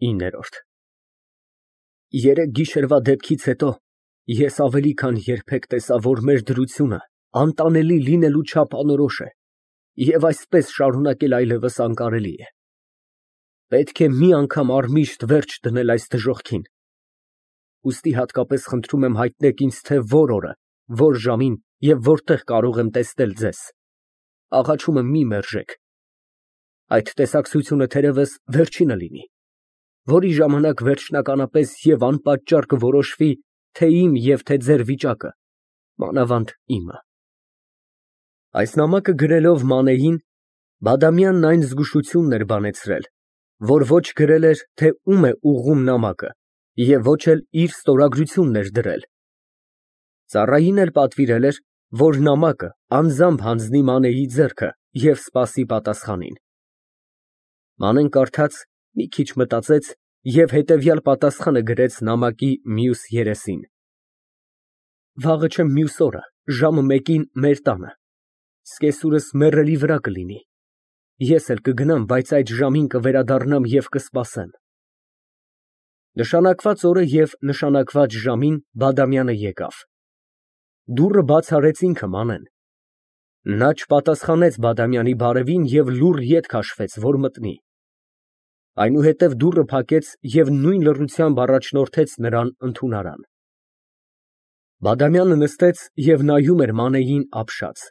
9 Երեկ գիշերվա դեպքից հետո ես ավելի քան երբեք տեսա, որ մեր դրությունը անտանելի լինելու չափ անորոշ է և այսպես շարունակել այլևս անկարելի է։ Պետք է մի անգամ առմիշտ վերջ դնել այս դժոխքին, ուստի հատկապես խնդրում եմ հայտնեք ինձ, թե որ օրը, որ ժամին և որտեղ կարող եմ տեսնել ձեզ։ Աղաչում եմ, մի մերժեք։ Այդ տեսակցությունը թերևս վերջինը լինի, որի ժամանակ վերջնականապես և անպատճառ կորոշվի թե իմ և թե ձեր վիճակը, մանավանդ իմը։ Այս նամակը գրելով Մանեին, Բադամյանն այն զգուշությունն էր բանեցրել, որ ոչ գրել էր, թե ում է ուղղում նամակը և ոչ էլ իր ստորագրությունն էր դրել։ Ծառային էլ պատվիրել էր, որ նամակը անձամբ հանձնի Մանեի ձեռքը և սպասի պատասխանին։ Մանեն կարդաց, մի քիչ մտածեց և հետևյալ պատասխանը գրեց նամակի մյուս երեսին. Վաղը չէ մյուս օրը ժամը 1-ին մեր տանը, զկեսուրս մեռելի վրա կլինի, ես էլ կգնամ, բայց այդ ժամին կվերադառնամ և կսպասեմ։ Նշանակված օրը և նշանակված ժամին Բադամյանը եկավ։ Դուռը բաց արեց ինքը Մանեն։ Նա չպատասխանեց Բադամյանի բարևին և լուռ ետ քաշվեց, որ մտնի։ Այնուհետև դուռը փակեց և նույն լռությամբ առաջնորդեց նրան ընդունարան։ Բադամյանը նստեց և նայում էր Մանեին ապշած։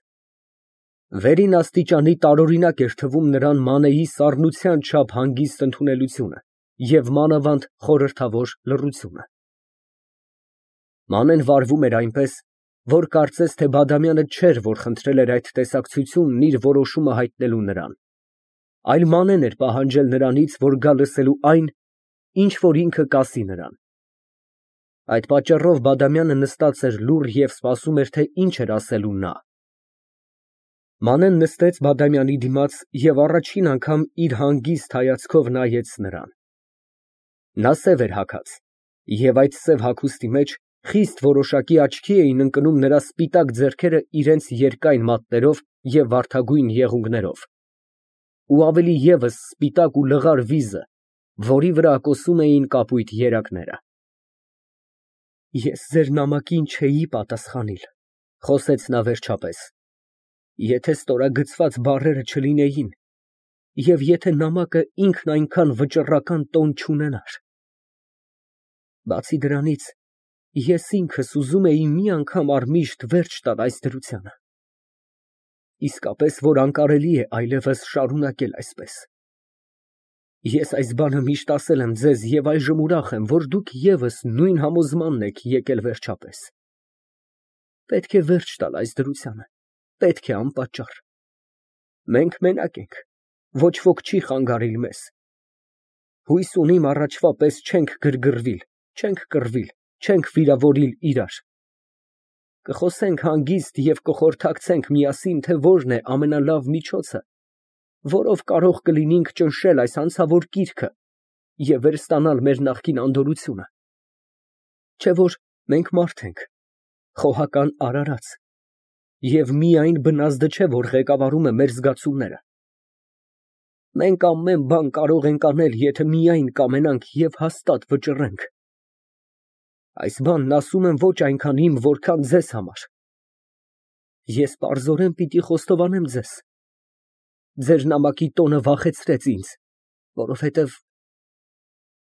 Վերին աստիճանի տարօրինակ էր թվում նրան Մանեի սառնության չափ հանգիստ ընդունելությունը և մանավանդ խորհրդավոր լռությունը։ Մանեն վարվում էր այնպես, որ կարծես թե Բադամյանը չէր, որ խնդրել էր այդ տեսակցությունն իր որոշումը հայտնելու նրան, այլ Մանեն էր պահանջել նրանից, որ գա լսելու այն, ինչ որ ինքը կասի նրան։ Այդ պատճառով Բադամյանը նստած էր լուռ և սպասում էր, թե ինչ էր ասելու նա։ Մանեն նստեց Բադամյանի դիմաց և առաջին անգամ իր հանգիստ հայացքով նայեց նրան։ Նա սև էր հագած, և այդ սև հագուստի մեջ խիստ որոշակի աչքի էին ընկնում նրա սպիտակ ձեռքերը իրենց երկայն մատներով և վարդագույն եղունգներով, ու ավելի ևս սպիտակ ու լղար վիզը, որի վրա կոսում էին կապույտ երակները։ Ես ձեր նամակին չէի պատասխանիլ, խոսեց նա վերջապես, եթե ստորագրված բառերը չլինեին և եթե նամակը ինքն այնքան վճռական տոն չունենար։ Բացի դրանից, ես ինքս ուզում էի մի անգամ առմիշտ վերջ տալ այս դրությանը, իսկապես, որ անկարելի է այլևս շարունակել այսպես։ Ես այս բանը միշտ ասել եմ ձեզ և այժմ ուրախ եմ, որ դուք ևս նույն համոզմանն եք եկել վերջապես։ Պետք է վերջ տալ այս դրությանը, պետք է անպատճառ։ Մենք մենակ ենք, ոչ ոք չի խանգարիլ մեզ։ Հույս ունիմ առաջվա պես չենք գրգռվիլ, չենք կռվիլ, չենք վիրավորիլ իրար։ Կխոսենք հանգիստ և կխորհրդակցենք միասին, թե որն է ամենալավ միջոցը, որով կարող կլինիք ճնշել այս անցավոր կիրքը և վերստանալ մեր նախկին անդորրությունը։ Չէ՞ որ մենք մարդ ենք, խոհական արարած, և միայն բնազդը չէ, որ ղեկավարում է մեր զգացումները։ Մենք ամեն բան կարող ենք անել, եթե միայն կամենանք և հաստատ վճռենք։ Այս բանն ասում եմ ոչ այնքան իմ, որքան ձեզ համար։ Ես պարզորեն պիտի խոստովանեմ ձեզ. ձեր նամակի տոնը վախեցրեց ինձ,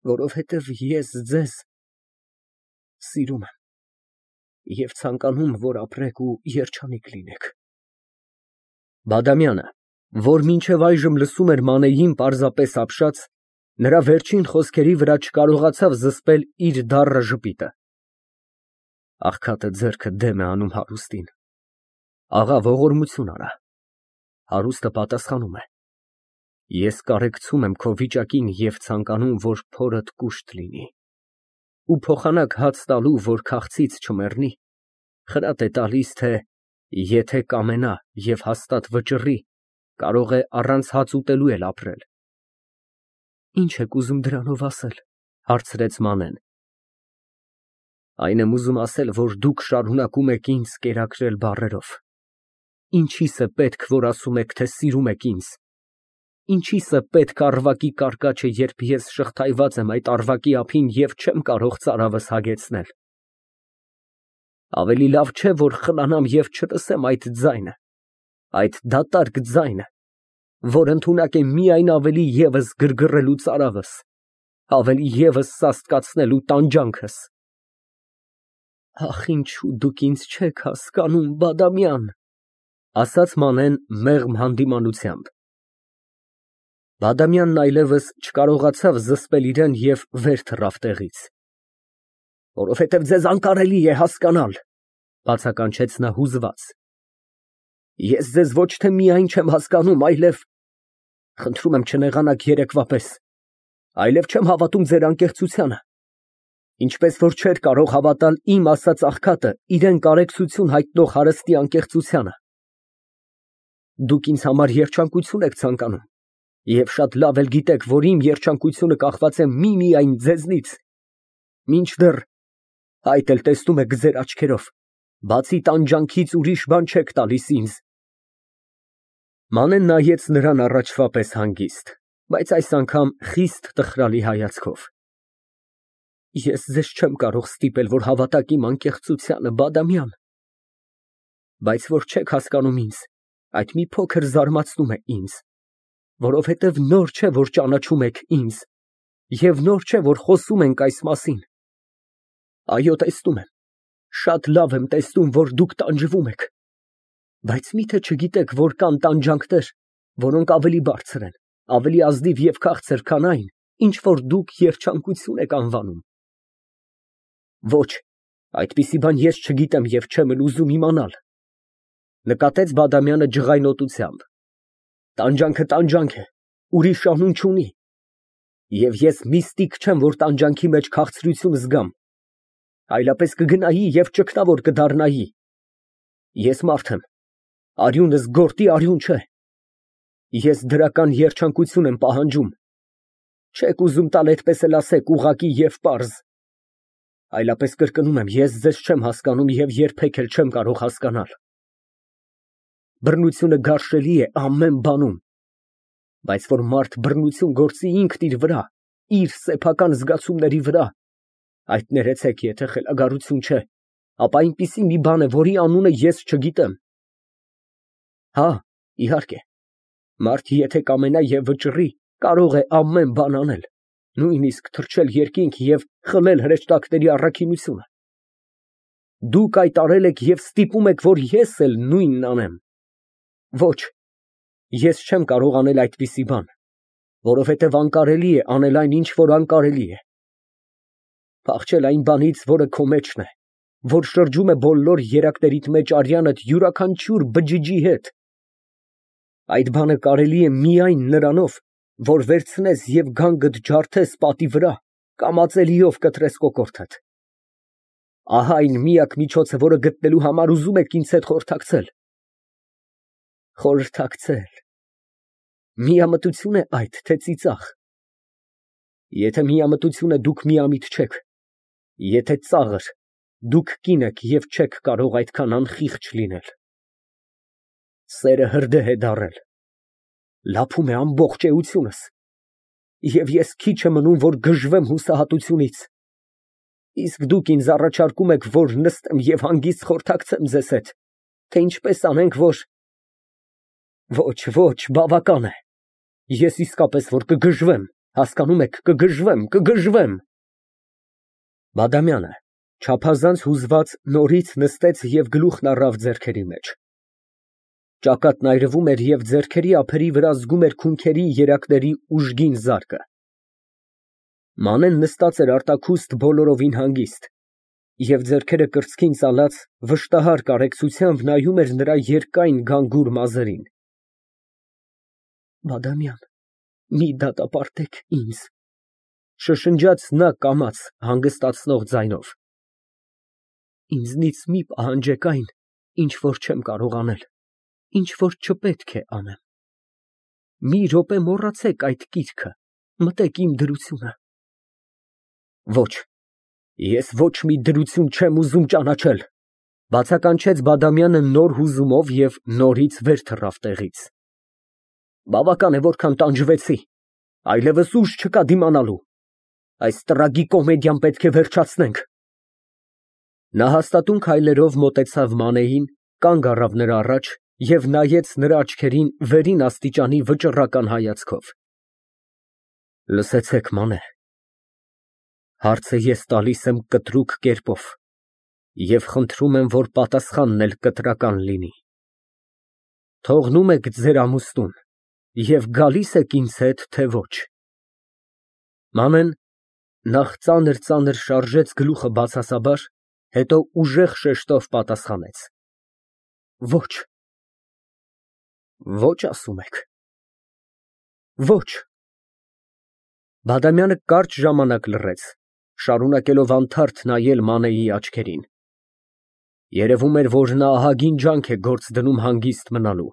որովհետև ես ձեզ սիրում եմ և ցանկանում, որ ապրեք ու երջանիկ լինեք։ Բադամյանը, որ մինչև այժմ լսում էր Մանեին պարզապես ապշած, նրա վերջին խոսքերի վրա չկարողացավ զսպել իր դառն ժպիտը։ Աղքատը ձեռքը դեմ է անում հարուստին։ Աղա, ողորմություն արա։ Հարուստը պատասխանում է. ես կարեկցում եմ քո վիճակին և ցանկանում, որ փորդ կուշտ լինի, ու փոխանակ հաց տալու, որ քաղցից չմեռնի, խրատ է տալիս, թե եթե կամենա և հաստատ վճռի, կարող է առանց հաց ուտելու էլ ապրել։ Ի՞նչ եք ուզում դրանով ասել, հարցրեց Մանեն։ Այն եմ ուզում ասել, որ դուք շարունակում եք ինձ կերակրել բառերով։ Ինչի՞ս է պետք, որ ասում եք, թե սիրում եք ինձ։ ինչիսը պետք առվակի կարկաչը, երբ ես շղթայված եմ այդ առվակի ափին և չեմ կարող ծարավս հագեցնել։ Ավելի լավ չէ, որ խնամամ և չլսեմ այդ ձայնը, այդ դատարկ ձայնը, որ ընդունակ է միայն ավելի ևս գրգռելու ծարավս, ավելի ևս սաստկացնելու տանջանքս։ Ախ, ինչու դուք ինձ չեք հասկանում, Բադամյան, ասաց Մանեն մեղմ հանդիմանությամբ։ Բադամյանն այլևս չկարողացավ զսպել իրան և վեր թռավ տեղից։ Որովհետև ձեզ անկարելի է հասկանալ, բացականչեց նա հուզված։ Ես ձեզ ոչ թե միայն չեմ հասկանում, այլև, խնդրում եմ չնեղանաք երեկվա պես, այլև չեմ հավատում ձեր անկեղծությանը, ինչպես որ չէր կարող հավատալ իմ ասած աղքատը իրան կարեկցություն հայտնող հարստի անկեղծությանը։ Դուք ինձ համար երջանկություն եք ցանկանում, և շատ լավ էլ գիտեք, որ իմ երջանկությունը կախված է միմիայն ձեզնից, մինչդեռ այդ էլ տեսնում եք ձեր աչքերով, բացի տանջանքից ուրիշ բան չեք տալիս ինձ։ Մանեն նայեց նրան առաջվա պես հանգիստ, բայց այս անգամ խիստ տխրալի հայացքով։ Ես ձեզ չեմ կարող ստիպել, որ հավատաք իմ անկեղծությանը, Բադամյան, բայց որ չեք հասկանում ինձ, այդ մի փոքր զարմացնում է ինձ, որովհետև նոր չէ, որ ճանաչում եք ինձ, և նոր չէ, որ խոսում ենք այս մասին։ Այո, տեսնում եմ, շատ լավ եմ տեսնում, որ դուք տանջվում եք, բայց միթե չգիտեք, որ կան տանջանքներ, որոնք ավելի բարձր են, ավելի ազնիվ և քաղցր, քան այն, ինչ որ դուք երջանկություն եք անվանում։ Ոչ, այդպիսի բան ես չգիտեմ և չեմ էլ ուզում իմանալ, նկատեց Բադամյանը ջղայնոտությամբ։ Տանջանքը տանջանք է, ուրիշ անուն չունի, և ես միստիկ չեմ, որ տանջանքի մեջ քաղցրություն զգամ, այլապես կգնայի և ճգնավոր կդառնայի։ Ես մարդ եմ, արյունս գորտի արյուն չէ, ես դրական երջանկություն եմ պահանջում, չեք ուզում տալ, այդպես էլ ասեք ուղղակի և պարզ, այլապես կրկնում եմ, ես ձեզ չեմ հասկանում և երբեք էլ չեմ կարող հասկանալ։ Բռնությունը գարշելի է ամեն բանում, բայց որ մարդ բռնություն գործի ինքն իր վրա, իր սեփական զգացումների վրա, այդ ներեցեք, եթե խելագարություն չէ, ապա այնպիսի մի բան է, որի անունը ես չգիտեմ։ Հա, իհարկե, մարդ եթե կամենա և վճռի, կարող է ամեն բան անել, նույնիսկ թռչել երկինք և խլել հրեշտակների առաքինությունը։ Դուք այդ արել եք և ստիպում եք, որ ես էլ նույնն անեմ։ Ոչ, ես չեմ կարող անել այդպիսի բան, որովհետև անկարելի է անել այն, ինչ որ անկարելի է։ Փախչել այն բանից, որը քո մեջն է, որ շրջում է բոլոր երակներիդ մեջ արյանդ յուրաքանչյուր բջիջի հետ։ Այդ բանը կարելի է միայն նրանով, որ վերցնես և գանգդ ջարդես պատի վրա, կամ ածելիով կտրես կոկորդդ։ Ահա այն միակ միջոցը, որը գտնելու համար ուզում եք ինձ հետ խորհրդակցել։ Խորհրդակցել։ Միամտություն է այդ, թե ծիծաղ։ Եթե միամտություն է, դուք միամիտ չեք, եթե ծաղր, դուք կին եք և չեք կարող այդքան անխիղճ լինել։ Սերը հրդեհ է դառել, լափում է ամբողջ էությունս, և ես քիչ է մնում, որ գժվեմ հուսահատությունից, իսկ դուք ինձ առաջարկում եք, որ նստեմ և հանգիստ խորհրդակցեմ ձեզ հետ, թե ինչպես անենք, որ… Ոչ, բավական է, ես իսկապես որ կգժվեմ, հասկանում եք, կգժվեմ։ Բադամյանը չափազանց հուզված նորից նստեց և գլուխն առավ ձեռքերի մեջ։ Ճակատն այրվում էր և ձեռքերի ափերի վրա զգում էր քունքերի երակների ուժգին զարկը։ Մանեն նստած էր արտաքուստ բոլորովին հանգիստ և ձեռքերը կրծքին ծալած վշտահար կարեկցությամբ նայում էր նրա երկայն գանգուր մազերին։ Բադամյան, մի դատապարտեք ինձ, շշնջաց նա կամաց հանգստացնող ձայնով։ Ինձնից մի պահանջեք այն, ինչ որ չեմ կարող անել, ինչ որ չպետք է անեմ։ Մի րոպե մոռացեք այդ կիրքը, մտեք իմ դրությունը։ Ոչ, ես ոչ մի դրություն չեմ ուզում ճանաչել, բացականչեց Բադամյանը նոր հուզումով և նորից վեր թռավ տեղից։ Բավական է, որքան տանջվեցի, այլևս ուժ չկա դիմանալու, այս տրագիկոմեդիան պետք է վերջացնենք։ Նա հաստատուն քայլերով մոտեցավ Մանեին, կանգ առավ նրա առաջ և նայեց նրա աչքերին վերին աստիճանի վճռական հայացքով։ Լսեցեք, Մանե, հարցը ես տալիս եմ կտրուկ կերպով և խնդրում եմ, որ պատասխանն էլ կտրական լինի։ Թողնո՞ւմ եք ձեր ամուսնուն և գալի՞ս եք ինձ հետ, թե ոչ։ Մանեն նախ ծանր շարժեց գլուխը բացասաբար, հետո ուժեղ շեշտով պատասխանեց. Ոչ։ Ոչ, ասում եք։ Ոչ։ Բադամյանը կարճ ժամանակ լռեց, շարունակելով անթարթ նայել Մանեի աչքերին։ Երևում էր, որ նա ահագին ջանք է գործ դնում հանգիստ մնալու։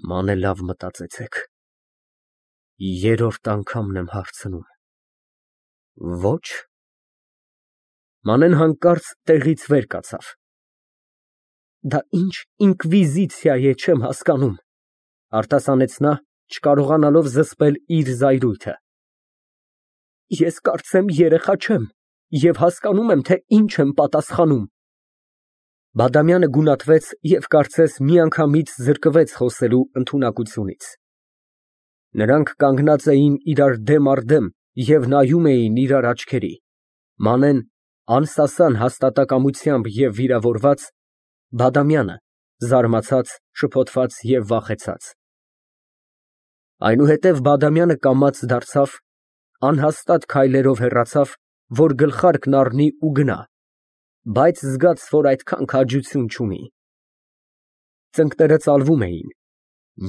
Մանե, լավ մտածեցեք, երրորդ անգամն եմ հարցնում։ Ոչ։ Մանեն հանկարծ տեղից վեր կացավ։ Դա ինչ ինկվիզիցիա է, չեմ հասկանում, արտասանեց նա, չկարողանալով զսպել իր զայրույթը։ Ես կարծեմ երեխա չեմ և հասկանում եմ, թե ինչ եմ պատասխանում։ Բադամյանը գունատվեց և կարծես միանգամից զրկվեց խոսելու ընդունակությունից։ Նրանք կանգնած էին իրար դեմ առ դեմ և նայում էին իրար աչքերի, Մանեն անսասան հաստատակամությամբ և վիրավորված, Բադամյանը զարմացած, շփոթված և վախեցած։ Այնուհետև Բադամյանը կամաց դարձավ, անհաստատ քայլերով հեռացավ, որ գլխարկն առնի ու գնա, բայց զգաց, որ այդքան քաջություն չունի։ Ծնկները ծալվում էին,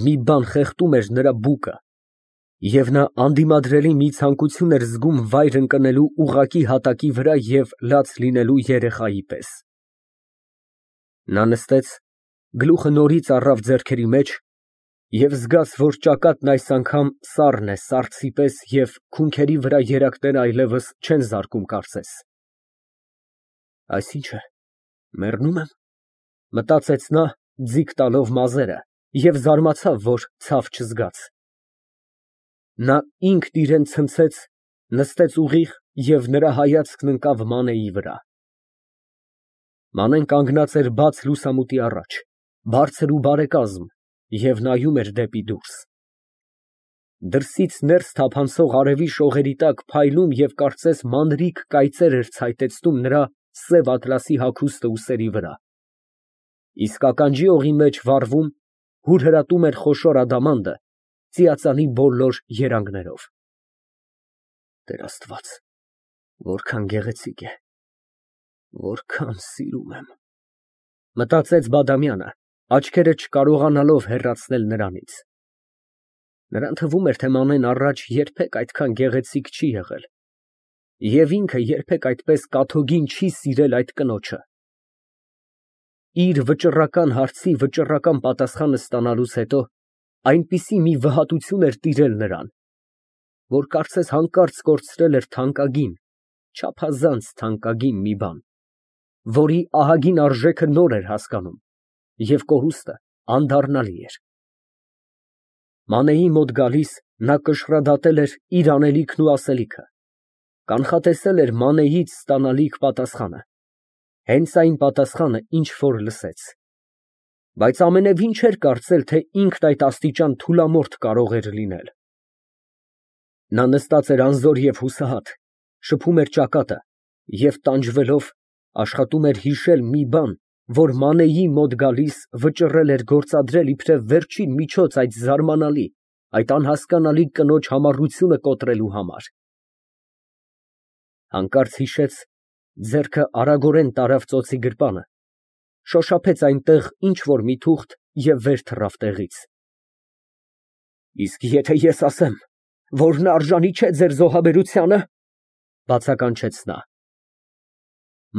մի բան խեղդում էր նրա բուկը, և նա անդիմադրելի մի ցանկություն էր զգում վայր ընկնելու ուղղակի հատակի վրա և լաց լինելու երեխայի պես։ Նա նստեց, գլուխը նորից առավ ձեռքերի մեջ և զգաց, որ ճակատն այս անգամ սառն է սառցի պես և քունքերի վրա երակները այլևս չեն զարկում կարծես։ Այսինչ է, մեռնո՞ւմ եմ, մտածեց նա, ձիգ տալով մազերը, և զարմացավ, որ ցավ չզգաց։ Նա ինքն իրան ցնցեց, նստեց ուղիղ և նրա հայացքն ընկավ Մանեի վրա։ Մանեն կանգնած էր բաց լուսամուտի առաջ, բարձր ու բարեկազմ, և նայում էր դեպի դուրս։ Դրսից ներս թափանցող արևի շողերի տակ փայլում և կարծես մանրիկ կայծեր էր ցայտեցնում նրա սև ատլասի հագուստը ուսերի վրա, իսկ ականջի օղի մեջ վառվում, հուրհրատում էր խոշոր ադամանդը ծիածանի բոլոր երանգներով։ Տեր Աստված, որքան գեղեցիկ է, որքան սիրում եմ, մտածեց Բադամյանը, աչքերը չկարողանալով հեռացնել նրանից։ Նրան թվում էր, թե Մանեն առաջ երբեք այդքան գեղեցիկ չի եղել, և ինքը երբեք այդպես կաթոգին չի սիրել այդ կնոջը։ Իր վճռական հարցի վճռական պատասխանը ստանալուց հետո այնպիսի մի վհատություն էր տիրել նրան, որ կարծես հանկարծ կորցրել էր թանկագին, չափազանց թանկագին մի բան, որի ահագին արժեքը նոր էր հասկանում, և կորուստը անդառնալի էր։ Մանեի մոտ գալիս նա կշռադատել էր իր անելիքն ու ասելիքը, կանխատեսել էր Մանեից ստանալիք պատասխանը, հենց այն պատասխանը, ինչ որ լսեց, բայց ամենևին չէր կարծել, թե ինքն այդ աստիճան թուլամորթ կարող էր լինել։ Նա նստած էր անզոր և հուսահատ, շփում էր ճակատը և տանջվելով աշխատում էր հիշել մի բան, որ Մանեի մոտ գալիս վճռել էր գործադրել իբրև վերջին միջոց այդ զարմանալի, այդ անհասկանալի կնոջ համառությունը կոտրելու համար։ Հանկարծ հիշեց, ձեռքը արագորեն տարավ ծոցի գրպանը, շոշափեց այնտեղ ինչ֊որ մի թուղթ և վեր թռավ տեղից։ Իսկ եթե ես ասեմ, որ նա արժանի չէ ձեր զոհաբերությանը, բացականչեց նա։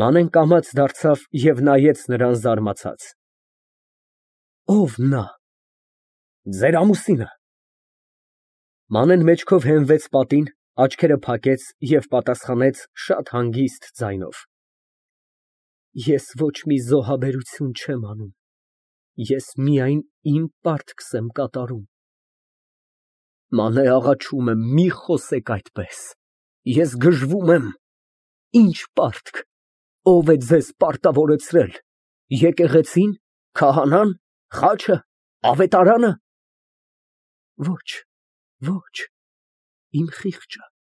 Մանեն կամաց դարձավ և նայեց նրան զարմացած։ Ո՞վ նա։ Ձեր ամուսինը։ Մանեն մեջքով հենվեց պատին, աչքերը փակեց և պատասխանեց շատ հանգիստ ձայնով. Ես ոչ մի զոհաբերություն չեմ անում, ես միայն իմ պարտքս եմ կատարում։ Մանե աղաչում եմ, մի խոսեք այդպես, ես գժվում եմ, ինչ պարտք, ո՞վ է ձեզ պարտավորեցրել, եկեղեցի՞ն, քահանա՞ն, խաչը, ավետարանը։ Ոչ, իմ խիղճը։